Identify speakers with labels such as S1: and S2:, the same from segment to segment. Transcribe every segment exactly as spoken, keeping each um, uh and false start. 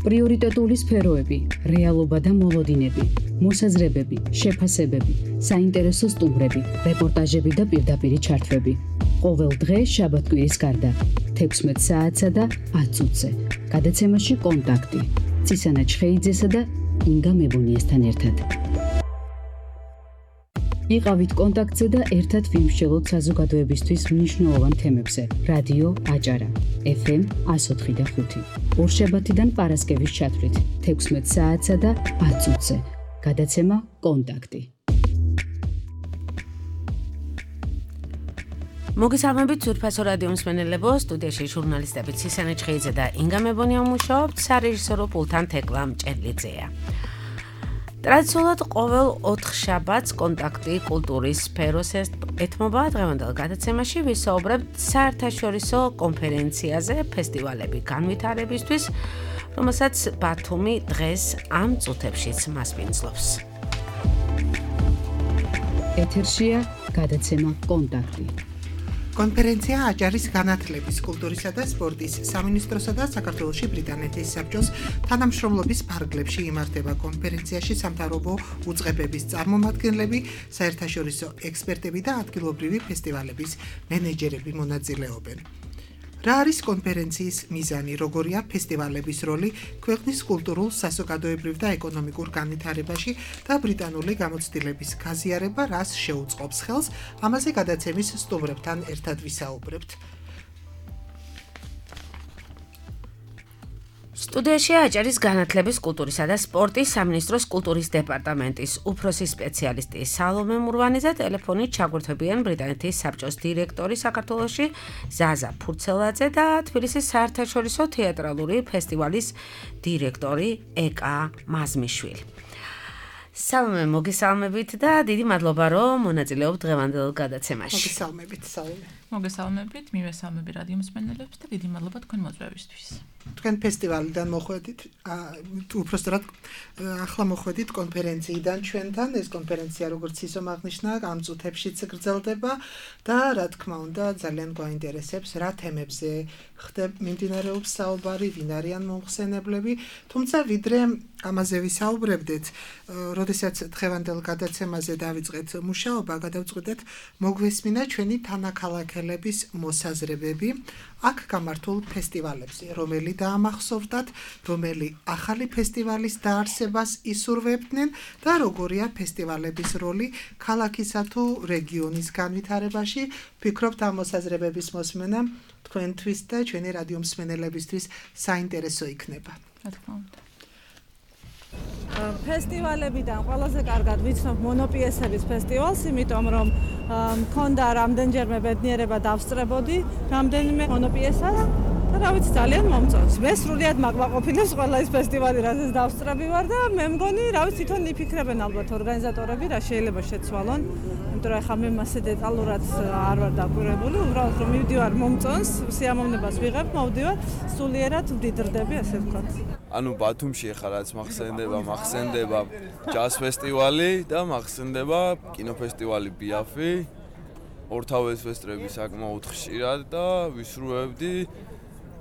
S1: პრიორიტეტული სფეროები, რეალობა და მოლოდინები, მოსაზრებები, შეფასებები, საინტერესო სტუმრები, რეპორტაჟები და პირდაპირი ჩართვები. ყოველ დღე შაბათ-კვირის გარდა, თექვსმეტ საათსა და ათ წუთზე. გადაცემაში კონტაქტი. ცისანა ჩხეიძესა და ინგა მებონიესთან ერთად. იყავით კონტაქტზე და ერთად ვიმსჯელოთ საზოგადოებისთვის მნიშვნელოვან თემებზე. რადიო აჭარა, ეფ ემ εκατო ოთხი და ხუთი. ორშაბათიდან პარასკევის ჩათვლით, თექვსმეტ საათსა და ათ წუთზე. გადაცემა კონტაქტი.
S2: მოგესალმებით ძვირფასო რადიო მსმენელებო, სტუდიაში ჟურნალისტები ცისანა ჩხეიძე და ინგა მებონია მუშაობთ, სარეჟისორო პულტთან თეკლა მჭედლიძეა. ტრადიციულად ყოველ ოთხ შაბათს კონტაქტი კულტურის სფეროს ეთმობა. დღევანდელ გადაცემაში ვისაუბრებთ საერთაშორისო კონფერენციაზე ფესტივალები განვითარებისთვის, რომელსაც ბათუმი დღეს ამ წუთებშიც მასპინძლობს.
S1: ეთერშია გადაცემა კონტაქტი.
S3: კონფერენცია აჭარის განათლების, კულტურისა და სპორტის სამინისტროსა და საქართველოში ბრიტანეთის საბჭოს თანამშრომლობის ფარგლებში იმართება. კონფერენციაში სამთავრობო უწყებების წარმომადგენლები, საერთაშორისო ექსპერტები და ადგილობრივი ფესტივალების მენეჯერები მონაწილეობენ. რა არის კონფერენციის მიზანი, როგორია ფესტივალების როლი ქვეყნის კულტურულ, საზოგადოებრივ და ეკონომიკურ განვითარებაში და ბრიტანული გამოცდილების გაზიარება რას შეუწყობს ხელს, ამაზე გადაცემის სტუმრებთან ერთად ვისაუბრებთ.
S2: სტუდიაში აჭარის განათლების, კულტურისა და სპორტის სამინისტროს კულტურის დეპარტამენტის უფროსი სპეციალისტი სალომე მურვანი და ტელეფონით ჩაგვერთვებიან ბრიტანეთის საბჭოს დირექტორი საქართველოში ზაზა ფურცელაძე და თბილისის საერთაშორისო თეატრალური ფესტივალის დირექტორი ეკა მაზმიშვილი. სალომე, მოგესალმებით და დიდი მადლობა, რომ მონაწილეობთ დღევანდელ გადაცემაში.
S3: მოგესალმებით, სალომე.
S4: მოგესალმებით, მივესალმები რადიო მსმენელებს და დიდი მადლობა თქვენ მოწვევისთვის.
S3: თქვენ ფესტივალიდან მოხვედით, უпростоრად ახლა მოხვედით კონფერენციიდან ჩვენთან. ეს კონფერენცია, როგორც ისომ აღნიშნა, ამ წუთებშიც გრძელდება და რა თქმა უნდა, ძალიან გვაინტერესებს რა თემებზე ხდება მიმდინარეობს საუბარი, ვინ არიან მომხსენებლები, თუმცა ვიდრე ამაზე ვისაუბრებდეთ, როდესაც დღევანდელ გადაცემაზე დავიწყეთ მუშაობა, გადავწყვიტეთ მოგვესმინა ჩვენი თანაქალაქელების მოსაზრებები აქ გამართულ ფესტივალებზე, რომელი დაამახსოვრდათ, რომელი ახალი ფესტივალის დაარსებას ისურვებდნენ და როგორია ფესტივალების როლი ქალაქისა თუ რეგიონის განვითარებაში. ვფიქრობთ, ამ მოსაზრებების მოსმენა თქვენთვის და ჩვენი რადიო მსმენელებისთვის საინტერესო იქნება.
S4: რა თქმა უნდა.
S5: ფესტივალებიდან ყველაზე კარგად ვიცნობ მონოპიესების ფესტივალს, იმიტომ რომ მქონდა რამდენჯერმე ბედნიერება დავსწრებოდი რამდენიმე მონოპიესას და რა ვიცი, ძალიან მომწონს. მე სრულიად მაყმაყოფილებს ყველა ეს ფესტივალი, რასაც დავსწრები ვარ და მე მგონი, რა ვიცი, თვითონ იფიქრებენ ალბათ ორგანიზატორები, რა შეიძლება შეცვალონ. იმიტომ რომ ახლა მე მასე დეტალურად არ ვარ დაკვირვებული, უბრალოდ რომ მივდივარ, მომწონს, სიამოვნებას ვიღებ, მოვდივარ, სულიერად ვდიდრდები, ასე ვთქვათ.
S6: ანუ ბათუმში ახლა რაც მახსენდება, მახსენდება ჯაზ ფესტივალი და მახსენდება კინოფესტივალი ბიაფი. ორთავე სესტრები საკმაოდ ხშირად და ვისურვებდი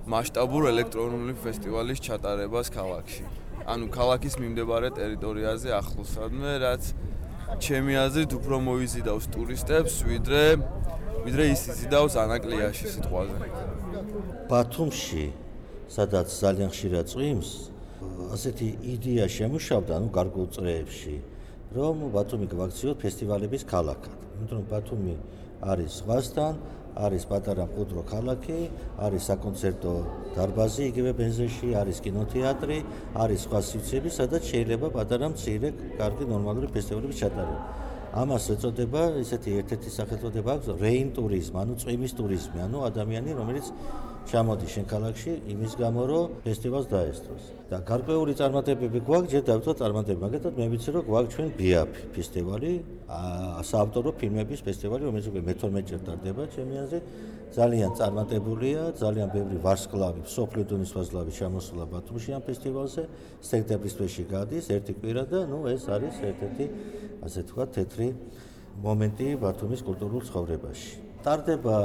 S6: მასშტაბურ ელექტრონული ფესტივალის ჩატარებას ქალაქში. ანუ ქალაქის მიმდებარე ტერიტორიაზე ახლოსადმე, რაც ჩემი აზრით უფრო მოიზიდავს ტურისტებს, ვიდრე ვიდრე ის იზიდავს ანაკლიაში სიტყვაზე.
S7: ბათუმში სადაც ძალიან ხშირად წვიმს, ასეთი იდეა შემუშავდა, ანუ გარკვეულ წრეებში, რომ ბათუმი გავაქციოთ ფესტივალების ქალაქად. იმიტომ რომ ბათუმი არის ზღვასთან, არის პატარა მყუდრო ქალაქი, არის საკონცერტო დარბაზი იგივე ბენზეში, არის კინოთეატრი, არის სხვა სივრცეები, სადაც შეიძლება პატარა მცირე, კარგი ნორმალური ფესტივალების ჩატარება. ამას ეწოდება, ისეთი ერთ-ერთი სახელწოდება აქვს, რეინ ტურიზმი, ანუ წვიმის ტურიზმი, ანუ ადამიანი, რომელიც ჩამოდის შენ ქალაქში იმის გამო, რომ ფესტივალს დაესწროს. და გარკვეული წარმატებები გვაქვს, ჯერ დავიწყოთ წარმატებები. მაგალითად, მე ვიცი, რომ გვაქვს ჩვენ ბიაფი ფესტივალი, საავტორო ფილმების ფესტივალი, რომელიც უკვე მეთორმეტე ტარდება ჩემი აზრით. ძალიან წარმატებულია, ძალიან ბევრი ვარსკვლავი, სოფლიო დონის ვარსკვლავი ჩამოსულა ბათუმში ამ ფესტივალზე. სექტემბრის თვეში გადის ერთი კვირა და ნუ ეს არის ერთ-ერთი, ასე ვთქვათ, თეთრი მომენტი ბათუმის კულტურულ ცხოვრებაში. ტარდება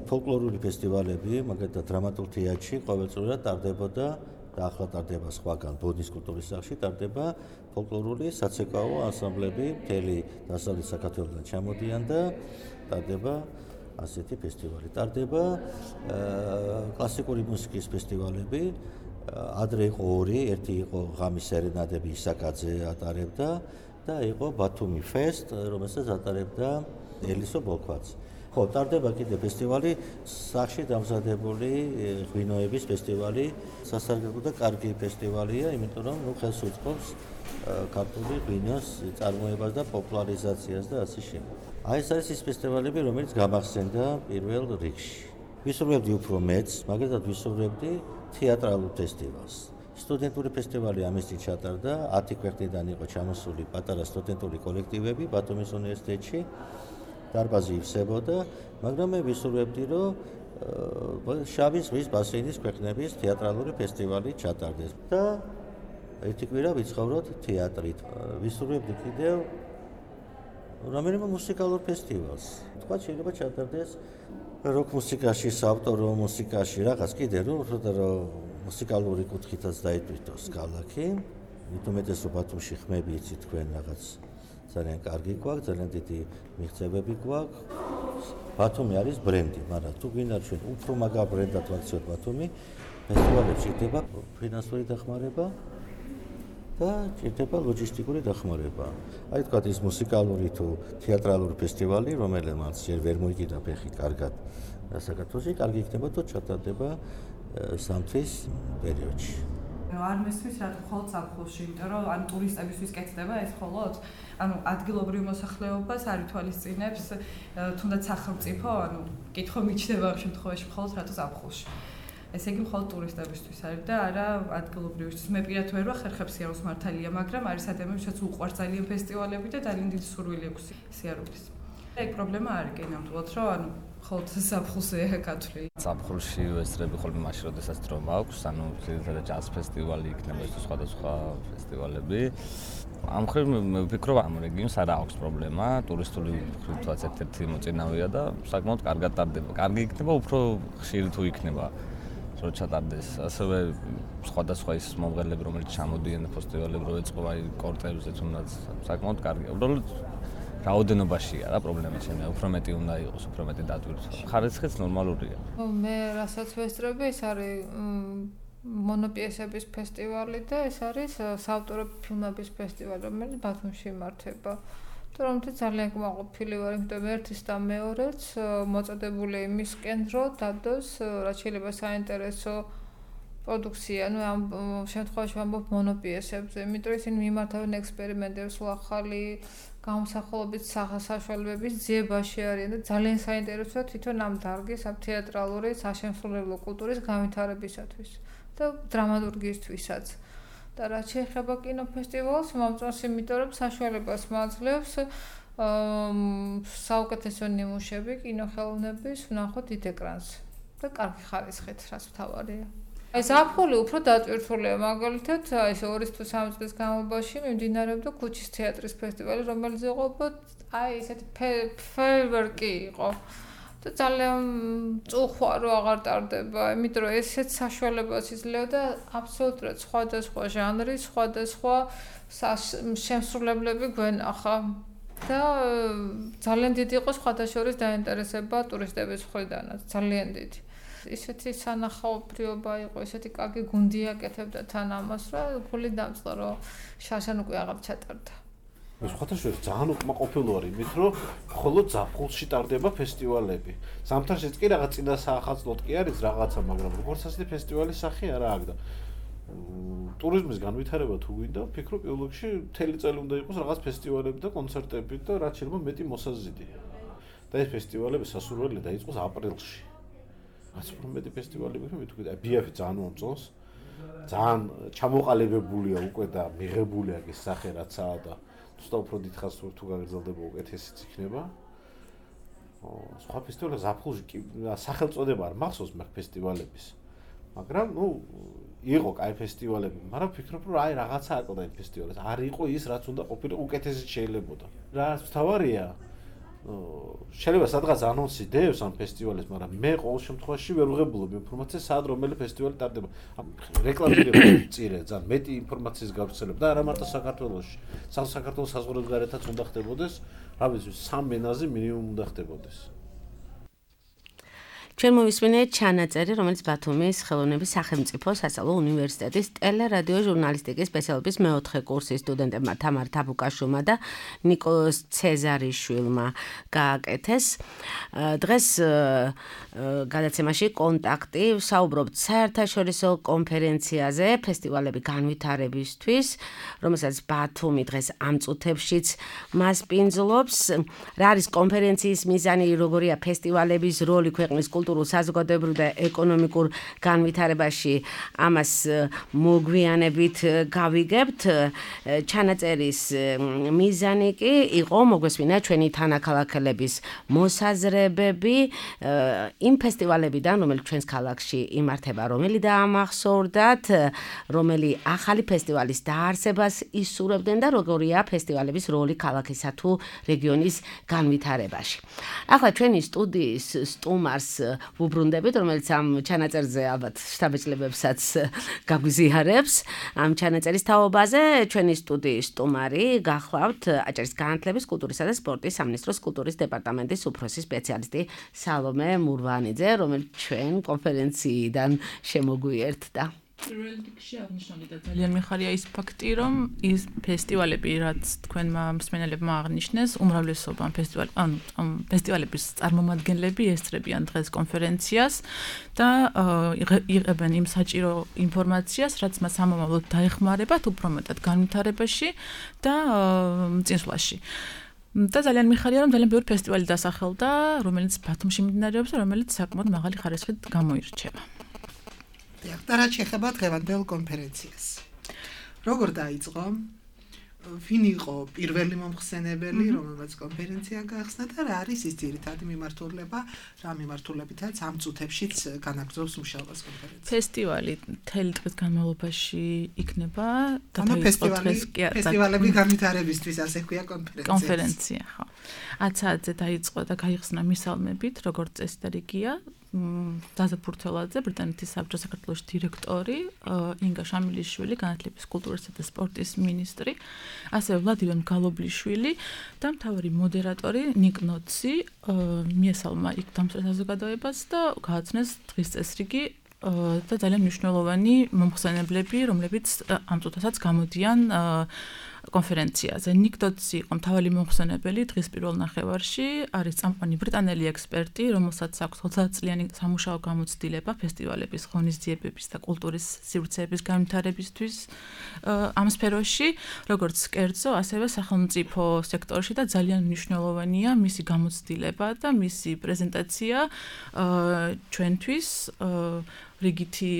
S7: ფოლკლორული ფესტივალები, მაგალითად დრამატულ თეატრში ყოველწლიურად ტარდებოდა და ახლა ტარდება სხვაგან ბოდნის კულტურის სახლში ტარდება ფოლკლორული საცეკვაო ანსამბლები მთელი დასავლეთ საქართველოსიდან ჩამოდიან და ტარდება ასეთი ფესტივალი. ტარდება კლასიკური მუსიკის ფესტივალები. ადრე იყო ორი, ერთი იყო ღამის სერენადები ისაკაძე ატარებდა და იყო ბათუმი ფესტ, რომელსაც ატარებდა ელისო ბოლქვაც. ხო, ტარდება კიდე ფესტივალი, სახში დამზადებული ღვინოების ფესტივალი, სასარგებლო და კარგი ფესტივალია, იმიტომ რომ ნუ ხელს უწყობს ქართული ღვინოს წარმოებას და პოპულარიზაციას და ასე შემდეგ. აი ეს არის ის ფესტივალები, რომელიც გამახსენდა პირველ რიგში. ვისურვებდი უფრო მეც, მაგალითად ვისურვებდი თეატრალურ ფესტივალს. სტუდენტური ფესტივალი ამისთვის ჩატარდა, ათი ქვეყნიდან იყო ჩამოსული პატარა სტუდენტური კოლექტივები ბათუმის უნივერსიტეტში. დარბაზი ივსებოდა, მაგრამ მე ვისურვებდი, რომ შავი ზღვის ბასეინის ქვეყნების თეატრალური ფესტივალი ჩატარდეს და ერთი კვირა ვიცხოვროთ თეატრით. ვისურვებდი კიდევ რომელიმე მუსიკალურ ფესტივალს. თქვა შეიძლება ჩატარდეს როკ მუსიკაში, საავტორო მუსიკაში, რაღაც კიდე რომ მუსიკალური კუთხითაც დაიტვირთოს ქალაქი. მithumetes რომ ბათუმში ხმები იცით თქვენ რაღაც ძალიან კარგი გვაქვს, ძალიან დიდი მიღწევები გვაქვს. ბათუმი არის ბრენდი, მაგრამ თუ გინდა ჩვენ უფრო მაგარ ბრენდად ვაქციოთ ბათუმი, ფესტივალებში ჭირდება ფინანსური დახმარება და ჭირდება ლოჯისტიკური დახმარება. აი თქვა ის მუსიკალური თუ თეატრალური ფესტივალი, რომელმაც ჯერ ვერ მოიგიდა ფეხი კარგად საქართველოში, კარგი იქნება თუ ჩატარდება სამთვის პერიოდში.
S8: არ მესმის რა მხოლოდ ზაფხულში, იმიტომ რომ ან ტურისტებისთვის კეთდება ეს მხოლოდ, ანუ ადგილობრივ მოსახლეობას არ ითვალისწინებს, თუნდაც სახელმწიფო, ანუ კითხვა მიჩნდება ამ შემთხვევაში მხოლოდ რატო ზაფხულში. ესე იგი მხოლოდ ტურისტებისთვის არის და არა ადგილობრივისთვის. მე პირადად ვერ ვახერხებ სიარულს მართალია, მაგრამ არის ადამიანებიც უყვარს ძალიან ფესტივალები და ძალიან დიდი სურვილი აქვს სიარულის. ეგ პრობლემა არ არის ნამდვილად, რომ ანუ ხოლმე ზაფხულზეა გათვლილი.
S9: ზაფხულში ვესწრები ხოლმე მაშინ, როდესაც დრო მაქვს, ანუ ზედმეტად ჯაზ ფესტივალი იქნება ეს სხვადასხვა ფესტივალები. ამ მხრივ მე ვფიქრობ, ამ რეგიონს არ აქვს პრობლემა, ტურისტული მხრივაც ერთ-ერთი მოწინავეა და საკმაოდ კარგად ტარდება. კარგი იქნება, უფრო ხშირი თუ იქნება. რო ჩატარდეს, ასევე სხვადასხვა ის მომღერლები, რომელიც ჩამოდიან ფესტივალებზე, რო ეწყო აი კორტებზე თუნდაც საკმაოდ კარგია. უბრალოდ რაოდენობაშია რა პრობლემა ჩემი, უფრო მეტი უნდა იყოს, უფრო მეტი დატვირთვა. ხარისხიც ნორმალურია.
S10: მე რასაც ვესწრები, ეს არის მონოპიესების ფესტივალი და ეს არის საავტორო ფილმების ფესტივალი, რომელიც ბათუმში იმართება. თუმცა ძალიან კმაყოფილი ვარ, იმიტომ ერთის და მეორეც მოწოდებული იმისკენ, რომ დადოს რაც შეიძლება საინტერესო პროდუქცია, ну ამ შემთხვევაში ვამბობ მონოპიესებზე, იმიტომ ისინი მიმართავენ ექსპერიმენტებს, ახალი გამოსახულობის საშუალებების ძიებაში არიან და ძალიან საინტერესოა თვითონ ამ დარგის, ამ თეატრალური საშემსრულებლო კულტურის განვითარებისათვის და დრამატურგიისთვისაც. და რაც შეეხება კინოფესტივალს, მომწონს, იმიტომ რომ საშუალებას მაძლევს საუკეთესო ნიმუშები კინოხელოვნების ვნახოთ დიდ ეკრანზე და კარგი ხარისხით, რაც მთავარია. აი ზაფხული უფრო დატვირთულია, მაგალითად, აი ეს ორი თუ სამი წლის განმავლობაში მიმდინარეობდა ქუჩის თეატრის ფესტივალი, რომელიც იყო აი ესეთი ფეერვერკი იყო. და ძალიან წუხვა რო აღარ ტარდება, იმიტომ რომ ესეც საშუალებას იძლევა და აბსოლუტურად სხვადასხვა ჟანრი, სხვადასხვა შემსრულებლები გვენახა და ძალიან დიდი იყო სხვადასხვა დაინტერესება ტურისტების მხრიდანაც, ძალიან დიდი. ისეთი სანახაობრივობა იყო, ესეთი კარგი გუნდი აკეთებდა თან ამას, რომ გული დამწყდა, რომ შარშან უკვე აღარ ჩატარდა.
S11: სხვადასხვა ძალიან უკმაყოფილო არის იმით, რომ მხოლოდ ზაფხულში ტარდება ფესტივალები. ზამთარშიც კი რაღაც წინა საახალწლოდ კი არის რაღაცა, მაგრამ როგორც ასეთი ფესტივალის სახე არა აქვს და ტურიზმის განვითარება თუ გვინდა, ვფიქრობ, პირველ რიგში მთელი წელი უნდა იყოს რაღაც ფესტივალები და კონცერტები და რაც შეიძლება მეტი მოსაზრდი. და ეს ფესტივალები სასურველია დაიწყოს აპრილში. რაც უფრო მეტი ფესტივალი ვიქნებით, თუ კიდე ბიაფი ძალიან მომწონს. ძალიან ჩამოყალიბებულია უკვე და მიღებული აქვს ეს სახე რაცაა და უბრალოდ უფრო დიდხანს თუ გაგრძელდება უკეთესიც იქნება. სხვა ფესტივალები ზაფხულში კი სახელწოდება არ მახსოვს მე ფესტივალების. მაგრამ ნუ იყო კაი ფესტივალები, მაგრამ ვფიქრობ რომ აი რაღაცა აკლდა იმ ფესტივალებს. არ იყო ის რაც უნდა ყოფილიყო უკეთესიც შეიძლებოდა. რაც თავარია შეიძლება სადღაც ანონსი დევს ამ ფესტივალის, მაგრამ მე ყოველ შემთხვევაში ვერ ვღებულობ ინფორმაციას, სად რომელი ფესტივალი ტარდება. რეკლამირება წირე, ძალიან მეტი ინფორმაციის გავრცელება და არა მარტო საქართველოში. საქართველოს საზღვრებს გარეთაც უნდა ხდებოდეს, რა ვიცი, სამ ენაზე მინიმუმ უნდა ხდებოდეს.
S2: ჩვენ მოვისმინეთ ჩანაწერი, რომელიც ბათუმის ხელოვნების სახელმწიფო სასწავლო უნივერსიტეტის ტელერადიო ჟურნალისტიკის სპეციალობის მეოთხე კურსის სტუდენტებმა თამარ თაბუკაშვილმა და ნიკოლოზ ცეზარიშვილმა გააკეთეს. დღეს გადაცემაში კონტაქტი ვსაუბრობთ საერთაშორისო კონფერენციაზე ფესტივალები განვითარებისთვის, რომელსაც ბათუმი დღეს ამ წუთებშიც მას პინძლობს. რა არის კონფერენციის მიზანი, როგორია ფესტივალების როლი ქვეყნის კულტურულ, საზოგადოებრივ და ეკონომიკურ განვითარებაში, ამას მოგვიანებით გავიგებთ. ჩანაწერის მიზანი კი იყო მოგვესმინა ჩვენი თანაქალაქელების მოსაზრებები იმ ფესტივალებიდან, რომელიც ჩვენს ქალაქში იმართება, რომელი დაამახსოვრდათ, რომელი ახალი ფესტივალის დაარსებას ისურვებდნენ და როგორია ფესტივალების როლი ქალაქისა თუ რეგიონის განვითარებაში. ახლა ჩვენი სტუდიის სტუმარს ვუბრუნდებით, რომელიც ამ ჩანაწერზე ალბათ შთაბეჭდილებებსაც გაგვიზიარებს. ამ ჩანაწერის თაობაზე ჩვენი სტუდიის სტუმარი გახლავთ აჭარის განათლების, კულტურისა და სპორტის სამინისტროს კულტურის დეპარტამენტის უფროსი სპეციალისტი სალომე მურვანიძე, რომელიც ჩვენ კონფერენციიდან შემოგვიერთდა.
S4: პირველ რიგში აღნიშნული და ძალიან მიხარია ის ფაქტი, რომ ის ფესტივალები, რაც თქვენმა მსმენელებმა აღნიშნეს, უმრავლესობა ფესტივალ, ანუ ფესტივალების წარმომადგენლები ესწრებიან დღეს კონფერენციას და იღებენ იმ საჭირო ინფორმაციას, რაც მას ამომავლოდ დაეხმარებათ უფრო მეტად განვითარებაში და წინსვლაში. და ძალიან მიხარია, რომ ძალიან ბევრი ფესტივალი დასახელდა, რომელიც ბათუმში მიმდინარეობს და რომელიც საკმაოდ მაღალი ხარისხით გამოირჩევა.
S3: და რაც შეეხება დღევანდელ კონფერენციას. როგორ დაიწყო? ვინ იყო პირველი მომხსენებელი, რომელმაც კონფერენცია გაახსნა და რა არის ის ძირითადი მიმართულება, რა მიმართულებითაც ამ წუთებშიც განაგრძობს მუშაობას კონფერენცია?
S4: ფესტივალი მთელი დღის განმავლობაში იქნება და
S3: დაიწყო დღეს ფესტივალები განვითარებისთვის, ასე ქვია კონფერენცია.
S4: კონფერენცია, ხო. ათ საათზე დაიწყო და გაიხსნა მისალმებით, როგორც წესი და რიგია. დაზა ფურთელაძე, ბრიტანეთის საბჭოს საქართველოს დირექტორი, ინგა შამილიშვილი, განათლების, კულტურისა და სპორტის მინისტრი, ასევე ვლადიმერ მგალობლიშვილი და მთავარი მოდერატორი ნიკ ნოცი მიესალმა იქ დამსწრე საზოგადოებას და გააცნეს დღის წესრიგი და ძალიან მნიშვნელოვანი მომხსენებლები, რომლებიც ამ წუთასაც გამოდიან კონფერენციაზე. ნიკ ნოცი იყო მთავარი მომხსენებელი დღის პირველ ნახევარში, არის წამყვანი ბრიტანელი ექსპერტი, რომელსაც აქვს ოცდაათწლიანი სამუშაო გამოცდილება ფესტივალების, ღონისძიებების და კულტურის სივრცეების განვითარებისთვის ამ სფეროში, როგორც კერძო, ასევე სახელმწიფო სექტორში და ძალიან მნიშვნელოვანია მისი გამოცდილება და მისი პრეზენტაცია ჩვენთვის რიგითი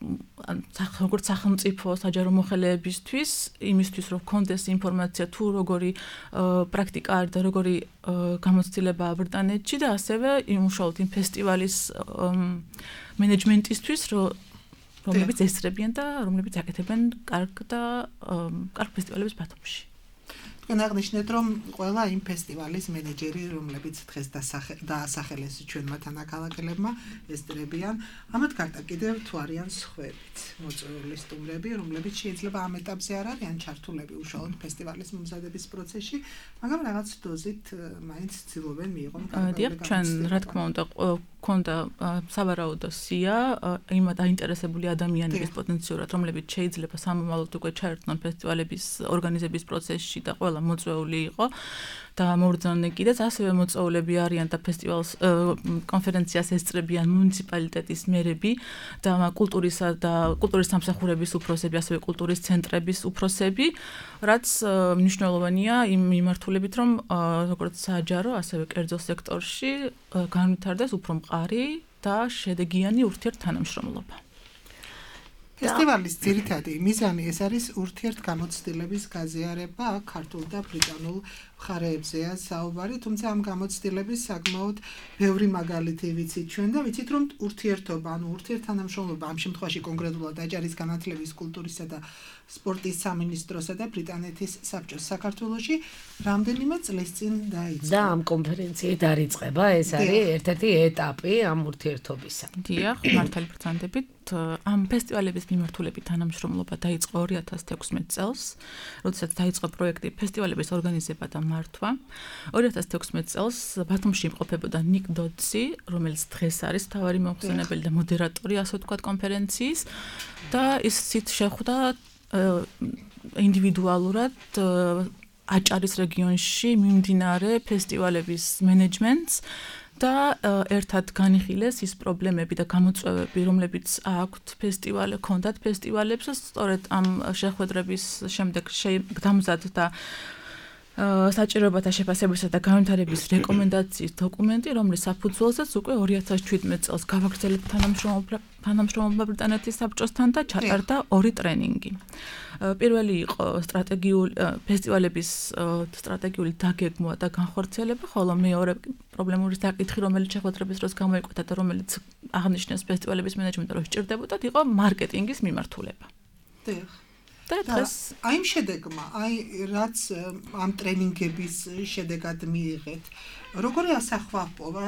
S4: როგორც სახელმწიფო საჯარო მოხელეებისთვის, იმისთვის რომ გქონდეს ინფორმაცია თუ როგორი პრაქტიკა არის და როგორი გამოცდილებაა ბრიტანეთში და ასევე იმუშაოთ იმ ფესტივალის მენეჯმენტისთვის, რომლებიც ესწრებიან და რომლებიც აკეთებენ კარგ და კარგ ფესტივალებს ბათუმში.
S3: თქვენ აღნიშნეთ, რომ ყველა იმ ფესტივალის მენეჯერი, რომლებიც დღეს დაასახელეს ჩვენმა თანაქალაქელებმა, ესწრებიან, ამათ გარდა კიდევ თუ არიან სხვებიც მოწვეული სტუმრები, რომლებიც შეიძლება ამ ეტაპზე არ არიან ჩართულები უშუალოდ ფესტივალის მომზადების პროცესში, მაგრამ რაღაც დოზით მაინც ცდილობენ მიიღონ
S4: კარგი. დიახ, ჩვენ რა თქმა უნდა ქონდა სავარაუდო სია იმ დაინტერესებული ადამიანების პოტენციურად, რომლებიც შეიძლება სამომავლოდ უკვე ჩაერთონ ფესტივალების ორგანიზების პროცესში და ყველა მოწვეული იყო და მობრძანდნენ კიდეც ასევე მოწვეულები არიან და ფესტივალს კონფერენციას ესწრებიან მუნიციპალიტეტის მერები და კულტურისა და კულტურის სამსახურების უფროსები, ასევე კულტურის ცენტრების უფროსები, რაც მნიშვნელოვანია იმ მიმართულებით, რომ როგორც საჯარო, ასევე კერძო სექტორში განვითარდეს უფრო მყარი და შედეგიანი ურთიერთთანამშრომლობა.
S3: ფესტივალის ძირითადი მიზანი ეს არის ურთიერთგამოცდილების გაზიარება ქართულ და ბრიტანულ მხარეებზეა საუბარი, თუმცა ამ გამოცდილების საკმაოდ ბევრი მაგალითი ვიცით ჩვენ და ვიცით რომ ურთიერთობა, ანუ ურთიერთთანამშრომლობა ამ შემთხვევაში კონკრეტულად აჭარის განათლების, კულტურისა და სპორტის სამინისტროსა და ბრიტანეთის საბჭოს საქართველოში რამდენიმე წლის წინ დაიწყო.
S2: და ამ კონფერენციით დაიწყება, ეს არის ერთ-ერთი ეტაპი ამ ურთიერთობისა.
S4: დიახ, მართალი ბრძანდებით, ამ ფესტივალების მიმართულებით თანამშრომლობა დაიწყო ორი ათას თექვსმეტ წელს, როდესაც დაიწყო პროექტი ფესტივალების ორგანიზება და მართვა. ორი ათას თექვსმეტ წელს ბათუმში იმყოფებოდა ნიკ დოდსი, რომელიც დღეს არის მთავარი მომხსენებელი და მოდერატორი, ასე ვთქვათ, კონფერენციის და ისიც შეხვდა ინდივიდუალურად აჭარის რეგიონში მიმდინარე ფესტივალების მენეჯმენტს და ერთად განიხილეს ის პრობლემები და გამოწვევები, რომლებიც აქვთ ფესტივალ, ჰქონდათ ფესტივალებს, სწორედ ამ შეხვედრების შემდეგ დამზადდა საჭიროებათა შეფასებისა და განვითარების რეკომენდაციის დოკუმენტი, რომლის საფუძველზეც უკვე ორი ათას შვიდმეტ წელს გავაგრძელებთ თანამშრომლობა ბრიტანეთის საბჭოსთან და ჩატარდა ორი ტრენინგი. პირველი იყო სტრატეგიული ფესტივალების სტრატეგიული დაგეგმვა და განხორციელება, ხოლო მეორე პრობლემური საკითხი, რომელიც შეხვედრების დროს გამოიკვეთა და რომელიც აღნიშნეს ფესტივალების მენეჯმენტი, რომ სჭირდებოდა, იყო მარკეტინგის მიმართულება.
S3: დიახ.
S4: და დღეს
S3: აი იმ შედეგმა, აი რაც ამ ტრენინგების შედეგად მიიღეთ, როგორი ასახვაპოვა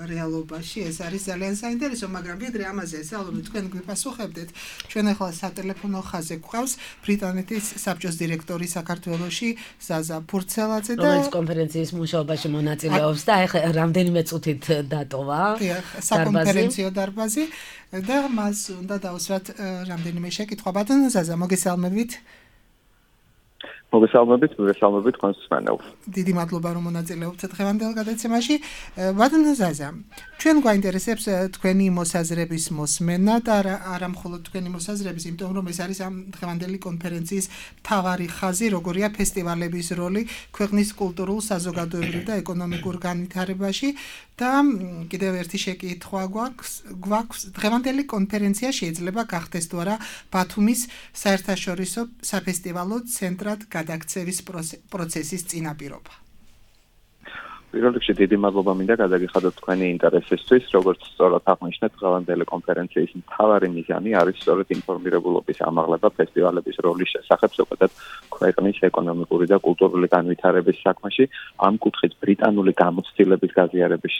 S3: რეალობაში, ეს არის ძალიან საინტერესო, მაგრამ ვიდრე ამაზე ესალობთ, თქვენ გვიპასუხებდეთ, ჩვენ ახლა სატელეფონო ხაზზე გვყავს ბრიტანეთის საბჭოს დირექტორი საქართველოში ზაზა ფურცელაძე და
S2: რომელიც კონფერენციის მუშაობაში მონაწილეობს და ახლა რამდენიმე წუთით დატოვა
S3: საკონფერენციო დარბაზი და მას უნდა დავუსვათ რამდენიმე შეკითხვა. ბატონო ზაზა, მოგესალმებით.
S12: მოგესალმებით, მოგესალმებით თქვენს მსმენელს.
S3: დიდი მადლობა რომ მონაწილეობთ დღევანდელ გადაცემაში. ბატონო ზაზა, ჩვენ გვაინტერესებს თქვენი მოსაზრების მოსმენა და არა მხოლოდ თქვენი მოსაზრების, იმიტომ რომ ეს არის ამ დღევანდელი კონფერენციის მთავარი ხაზი, როგორია ფესტივალების როლი ქვეყნის კულტურულ, საზოგადოებრივ და ეკონომიკურ განვითარებაში და კიდევ ერთი შეკითხვა გვაქვს, გვაქვს დღევანდელი კონფერენცია შეიძლება გახდეს თუ არა ბათუმის საერთაშორისო საფესტივალო ცენტრად გადაქცევის პროცესის წინაპირობა.
S12: პირველ რიგში დიდი მადლობა მინდა გადაგიხადოთ თქვენი ინტერესისთვის, როგორც სწორად აღნიშნეთ, დღევანდელი კონფერენციის მთავარი მიზანი არის სწორედ ინფორმირებულობის ამაღლება ფესტივალების როლის შესახებ ზოგადად ქვეყნის ეკონომიკური და კულტურული განვითარების საქმეში. ამ კუთხით ბრიტანული გამოცდილების გაზიარების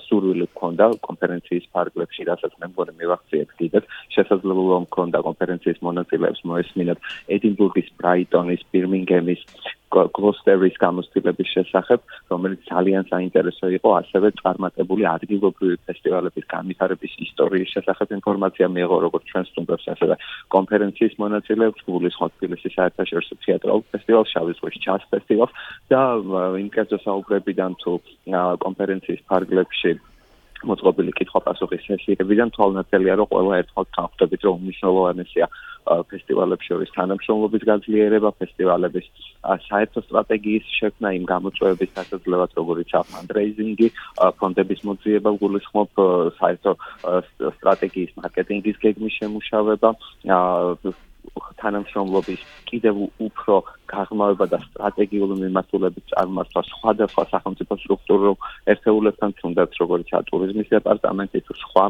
S12: სურვილი ჰქონდა კონფერენციის ფარგლებში, რასაც მე მგონი მივახციეთ კიდეც. შესაძლებლობა ჰქონდა კონფერენციის მონაწილეებს მოესმინათ ედინბურგის, ბრაიტონის, ბირმინგემის, გლოსტერის გამოცდილების შესახებ, რომელიც ძალიან საინტერესო იყო, ასევე წარმატებული ადგილობრივი ფესტივალების განვითარების ისტორიის შესახებ ინფორმაცია მიიღო როგორც ჩვენს სტუმრებს, ასევე კონფერენციის მონაწილეებს, გულისხმობ თბილისის საერთაშორისო თეატრალურ ფესტივალს, შავი ზღვის ჯაზ ფესტივალს და იმ კერძო საუბრებიდან თუ კონფერენციის ფარგლებში მოწყობილი კითხვა-პასუხის სესიებიდან თვალნათელია, რომ ყველა ერთხელ განხვდებით, რომ უმნიშვნელოვანესია ფესტივალებს შორის თანამშრომლობის გაძლიერება, ფესტივალების საერთო სტრატეგიის შექმნა, იმ გამოწვევების დასაძლევად, როგორიც ფანდრეიზინგი, ფონდების მოძიება, გულისხმობ საერთო სტრატეგიის მარკეტინგის გეგმის შემუშავება, თანამშრომლობის კიდევ უფრო გაღრმავება და სტრატეგიული მიმართულებით წარმართვა სხვადასხვა სახელმწიფო სტრუქტურულ ერთეულებთან, თუნდაც როგორც ტურიზმის დეპარტამენტი თუ სხვა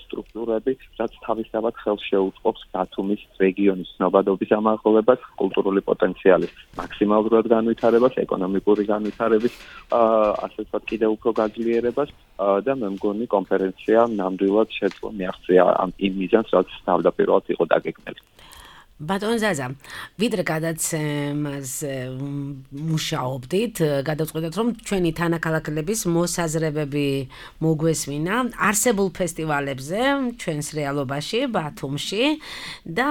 S12: სტრუქტურები, რაც თავისთავად ხელს შეუწყობს ბათუმის რეგიონის ცნობადობის ამაღლებას, კულტურული პოტენციალის მაქსიმალურად განვითარებას, ეკონომიკური განვითარების, ასე ვთქვათ, კიდევ უფრო გაძლიერებას და მე მგონი კონფერენცია ნამდვილად შეძლო მიაღწია იმ მიზანს, რაც თავდაპირველად იყო დაგეგმილი.
S2: ბატონ ზაზა, ვიდრე გადაცემას მუშაობდით, გადავწყვეტეთ, რომ ჩვენი თანაქალაქლების მოსაზრებები მოგვესმინა არსებულ ფესტივალებზე, ჩვენს რეალობაში, ბათუმში და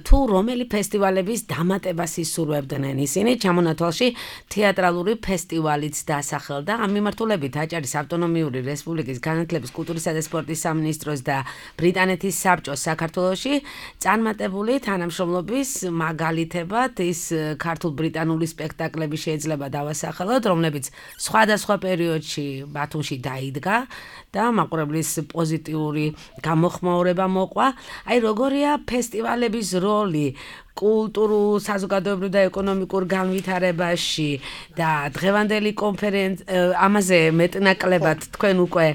S2: თუ რომელი ფესტივალების დამატებას ისურვებდნენ ისინი, ჩამონათვალში თეატრალური ფესტივალიც დასახელდა. ამ მიმართულებით აჭარის ავტონომიური რესპუბლიკის განათლების, კულტურისა და სპორტის სამინისტროს და ბრიტანეთის საბჭოს საქართველოში წარმატებული თანამშრომლობა თანამშრომლობის მაგალითებად ის ქართულ-ბრიტანული სპექტაკლები შეიძლება დავასახელოთ, რომლებიც სხვადასხვა პერიოდში ბათუმში დაიდგა და მაყურებლის პოზიტიური გამოხმაურება მოყვა. აი როგორია ფესტივალების როლი კულტურულ, საზოგადოებრივ და ეკონომიკურ განვითარებაში და დღევანდელი კონფერენცია ამაზე მეტნაკლებად თქვენ უკვე